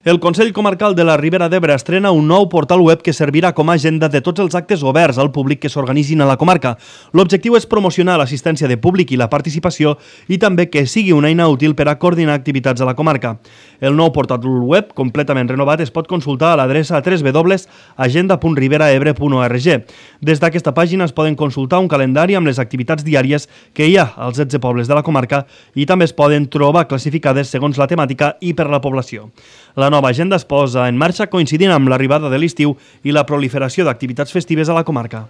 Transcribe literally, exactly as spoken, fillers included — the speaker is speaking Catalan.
El Consell Comarcal de la Ribera d'Ebre estrena un nou portal web que servirà com a agenda de tots els actes oberts al públic que s'organitzin a la comarca. L'objectiu és promocionar l'assistència de públic i la participació i també que sigui una eina útil per a coordinar activitats a la comarca. El nou portal web, completament renovat, es pot consultar a l'adreça w w w punt agenda punt riberaebre punt org. Des d'aquesta pàgina es poden consultar un calendari amb les activitats diàries que hi ha als setze pobles de la comarca i també es poden trobar classificades segons la temàtica i per la població. La nova agenda es posa en marxa coincidint amb l'arribada de l'estiu i la proliferació d'activitats festives a la comarca.